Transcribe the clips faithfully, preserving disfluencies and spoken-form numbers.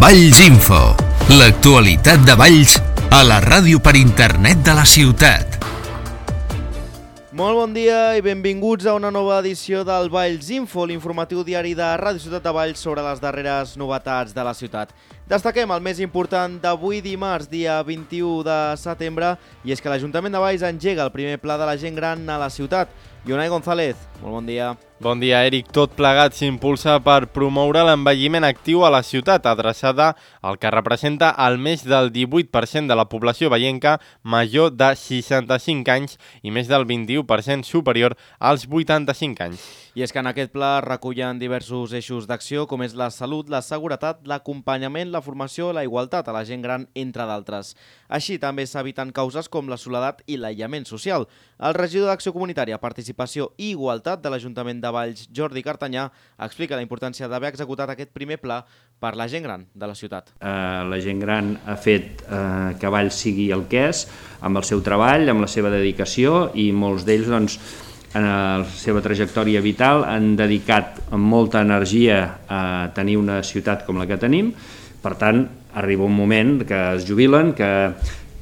Valls Info, l'actualitat de Valls a la ràdio per internet de la ciutat. Molt bon dia i benvinguts a una nova edició del Valls Info, l'informatiu diari de Ràdio Ciutat de Valls sobre les darreres novetats de la ciutat. Destaquem el més important d'avui dimarts, dia vint-i-u de setembre, i és que l'Ajuntament de Valls engega el primer pla de la gent gran a la ciutat. Ionai González, molt bon dia. Bon dia, Eric. Tot plegat s'impulsa per promoure l'envelliment actiu a la ciutat, adreçada al que representa el més del divuit per cent de la població vallenca major de seixanta-cinc anys i més del vint-i-u per cent superior als vuitanta-cinc anys. I és que en aquest pla recullen diversos eixos d'acció, com és la salut, la seguretat, l'acompanyament, la formació, la igualtat a la gent gran, entre d'altres. Així també s'eviten causes com la soledat i l'aïllament social. El regidor d'Acció Comunitària, Participació i Igualtat de l'Ajuntament de Valls, Jordi Cartanyà, explica la importància d'haver executat aquest primer pla per la gent gran de la ciutat. Uh, la gent gran ha fet uh, que Valls sigui el que és, amb el seu treball, amb la seva dedicació, i molts d'ells, doncs, en la seva trajectòria vital han dedicat molta energia a tenir una ciutat com la que tenim. Per tant, arriba un moment que es jubilen, que,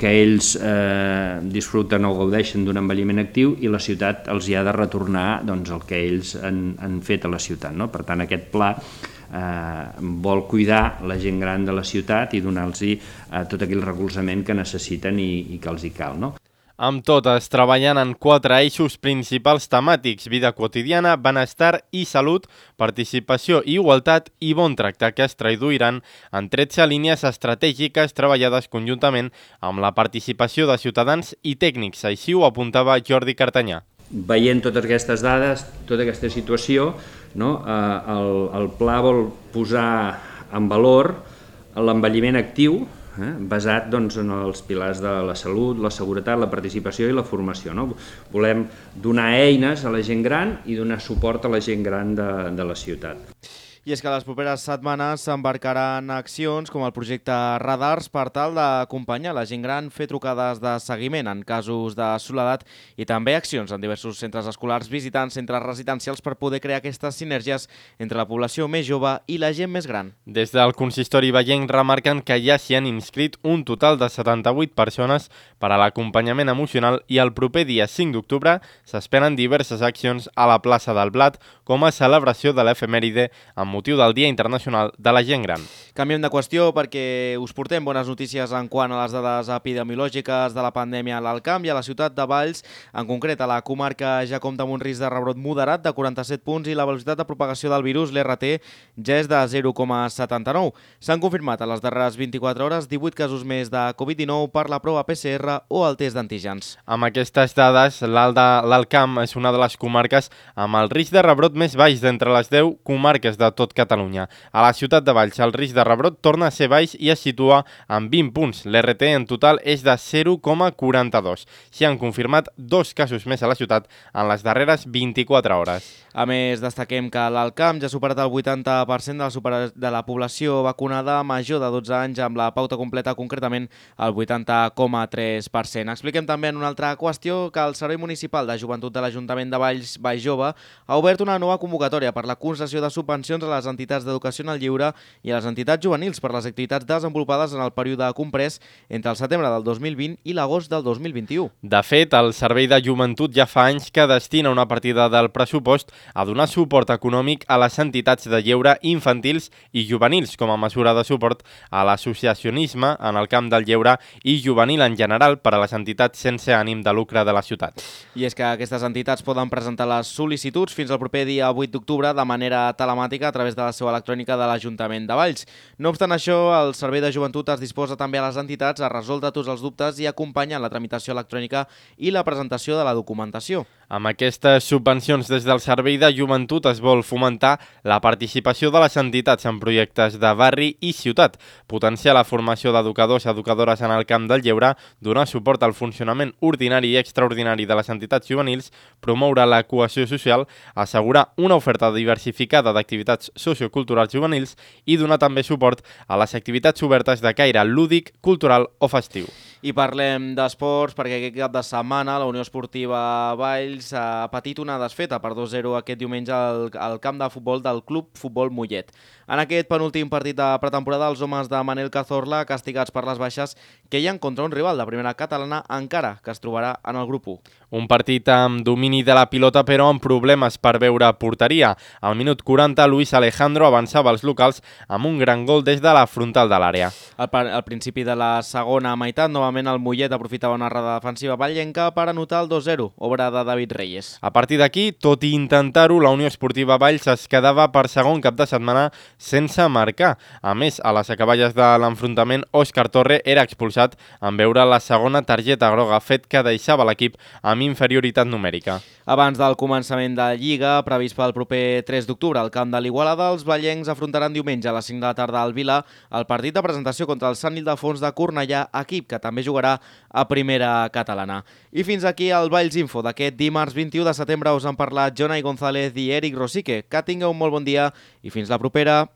que ells eh, disfruten o gaudeixen d'un envelliment actiu i la ciutat els hi ha de retornar, doncs, el que ells han, han fet a la ciutat, no? Per tant, aquest pla eh, vol cuidar la gent gran de la ciutat i donar-los eh, tot aquell recolzament que necessiten i, i que els hi cal, no? Amb totes, treballant en quatre eixos principals temàtics: vida quotidiana, benestar i salut, participació i igualtat i bon tracte, que es traduiran en tretze línies estratègiques treballades conjuntament amb la participació de ciutadans i tècnics. Així ho apuntava Jordi Cartanyà. Veient totes aquestes dades, tota aquesta situació, no, eh, el, el pla vol posar en valor l'envelliment actiu, Eh, basat, doncs, en els pilars de la salut, la seguretat, la participació i la formació, no? Volem donar eines a la gent gran i donar suport a la gent gran de, de la ciutat. I és que les properes setmanes s'embarcaran accions com el projecte Radars per tal d'acompanyar la gent gran, fer trucades de seguiment en casos de soledat i també accions en diversos centres escolars visitant centres residencials per poder crear aquestes sinergies entre la població més jove i la gent més gran. Des del consistori vallenc remarquen que ja s'hi han inscrit un total de setanta-vuit persones per a l'acompanyament emocional i el proper dia cinc d'octubre s'esperen diverses accions a la plaça del Blat com a celebració de l'efemèride amb motiu del Dia Internacional de la Gent Gran. Canviem de qüestió perquè us portem bones notícies en quant a les dades epidemiològiques de la pandèmia a l'Alt Camp i a la ciutat de Valls. En concret, a la comarca ja compta amb un risc de rebrot moderat de quaranta-set punts i la velocitat de propagació del virus, l'R T, ja és de zero coma setanta-nou. S'han confirmat a les darreres vint-i-quatre hores divuit casos més de Covid dinou per la prova P C R o el test d'antígens. Amb aquestes dades, l'Alt Camp és una de les comarques amb el risc de rebrot més baix d'entre les deu comarques de tot Catalunya. A la ciutat de Valls el risc de rebrot torna a ser baix i es situa en vint punts. L'R T en total és de zero coma quaranta-dos. S'hi han confirmat dos casos més a la ciutat en les darreres vint-i-quatre hores. A més, destaquem que l'Alt Camp ja ha superat el vuitanta per cent de la, super... de la població vacunada major de dotze anys amb la pauta completa, concretament el vuitanta coma tres per cent. Expliquem també en una altra qüestió que el Servei Municipal de Joventut de l'Ajuntament de Valls, Vall Jove, ha obert una nova convocatòria per la concessió de subvencions a les entitats d'educació en el lleure i a les entitats juvenils per les activitats desenvolupades en el període comprès entre el setembre del dos mil vint i l'agost del dos mil vint-i-u. De fet, el Servei de Joventut ja fa anys que destina una partida del pressupost a donar suport econòmic a les entitats de lleure infantils i juvenils com a mesura de suport a l'associacionisme en el camp del lleure i juvenil en general per a les entitats sense ànim de lucre de la ciutat. I és que aquestes entitats poden presentar les sol·licituds fins al proper dia vuit d'octubre de manera telemàtica a través de la seu electrònica de l'Ajuntament de Valls. No obstant això, el Servei de Joventut es disposa també a les entitats a resoldre tots els dubtes i acompanyar la tramitació electrònica i la presentació de la documentació. Amb aquestes subvencions des del Servei de Joventut es vol fomentar la participació de les entitats en projectes de barri i ciutat, potenciar la formació d'educadors i educadores en el camp del lleure, donar suport al funcionament ordinari i extraordinari de les entitats juvenils, promoure la cohesió social, assegurar una oferta diversificada d'activitats socioculturals juvenils i donar també suport a les activitats obertes de caire lúdic, cultural o festiu. I parlem d'esports perquè aquest cap de setmana la Unió Esportiva Valls ha patit una desfeta per dos a zero aquest diumenge al, al camp de futbol del Club Futbol Mollet. En aquest penúltim partit de pretemporada, els homes de Manel Cazorla, castigats per les baixes, queien contra un rival de primera catalana, encara que es trobarà en el grup u. Un partit amb domini de la pilota però amb problemes per veure porteria. Al minut quaranta, Luis Alejandro avançava els locals amb un gran gol des de la frontal de l'àrea. Al, al principi de la segona meitat, novament el Mollet aprofitava una errada defensiva vallenca per anotar el dos zero, obra de David Reyes. A partir d'aquí, tot i intentar-ho, la Unió Esportiva Valls es quedava per segon cap de setmana sense marcar. A més, a les acaballes de l'enfrontament, Òscar Torre era expulsat en veure la segona targeta groga, fet que deixava l'equip amb inferioritat numèrica. Abans del començament de Lliga, previst pel proper tres d'octubre al camp de l'Igualada, els vallencs afrontaran diumenge a les cinc de la tarda al Vila el partit de presentació contra el Sant Ildefons de Cornellà, equip que també jugarà a primera catalana. I fins aquí el Valls Info d'aquest dimarts vint-i-u de setembre. Us han parlat Jonai González i Eric Rosique. Que tingueu un molt bon dia i fins la propera.